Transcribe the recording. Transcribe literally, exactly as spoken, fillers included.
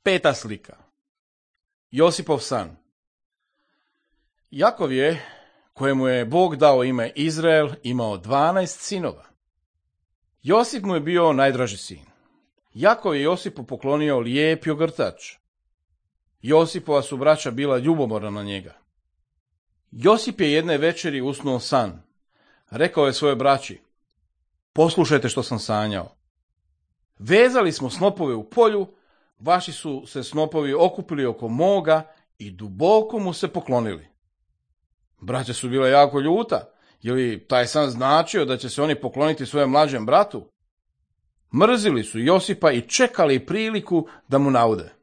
Peta slika. Josipov san. Jakov je, kojemu je Bog dao ime Izrael, imao dvanaest sinova. Josip mu je bio najdraži sin. Jakov je Josipu poklonio lijep ogrtač. Josipova su braća bila ljubomorna na njega. Josip je jedne večeri usnuo san. Rekao je svojoj braći: poslušajte što sam sanjao. Vezali smo snopove u polju, vaši su se snopovi okupili oko moga i duboko mu se poklonili. Braća su bila jako ljuta, je li taj san značio da će se oni pokloniti svojem mlađem bratu? Mrzili su Josipa i čekali priliku da mu naude.